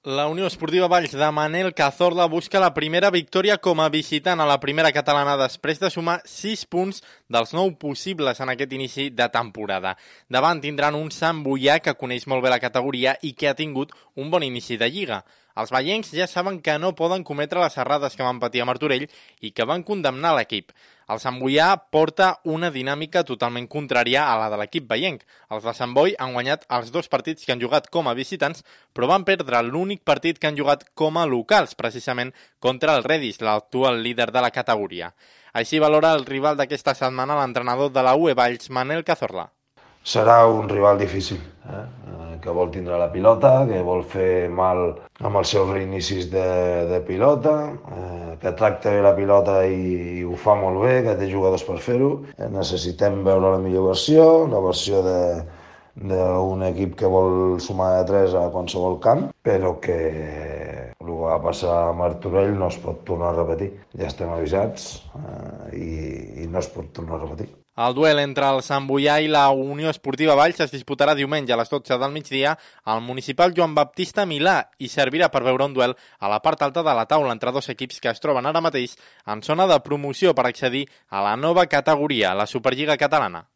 La Unió Esportiva Valls de Manel Cazorla busca la primera victòria com a visitant a la primera catalana després de sumar 6 punts dels 9 possibles en aquest inici de temporada. Davant tindran un Sant Boià que coneix molt bé la categoria i que ha tingut un bon inici de lliga. Els vallencs ja saben que no poden cometre les errades que van patir a Martorell i que van condemnar l'equip. El Sant Boià porta una dinàmica totalment contrària a la de l'equip vallenc. Els de Sant Boi han guanyat els 2 partits que han jugat com a visitants, però van perdre l'únic partit que han jugat com a locals, precisament contra el Redis, l'actual líder de la categoria. Així valora el rival d'aquesta setmana l'entrenador de la UE Valls, Manel Cazorla. Serà un rival difícil, que vol tindre la pilota, que vol fer mal amb els seus reinicis de pilota, que tracta bé la pilota i ho fa molt bé, que té jugadors per fer-ho. Necessitem veure la millor versió, la versió d'un equip que vol sumar de 3 a qualsevol camp, però que el que va passar a Martorell no es pot tornar a repetir. Ja estem avisats i no es pot tornar a repetir. El duel entre el Sant Boià i la Unió Esportiva Valls es disputarà diumenge a les 12 del migdia al municipal Joan Baptista Milà i servirà per veure un duel a la part alta de la taula entre 2 equips que es troben ara mateix en zona de promoció per accedir a la nova categoria, la Superliga Catalana.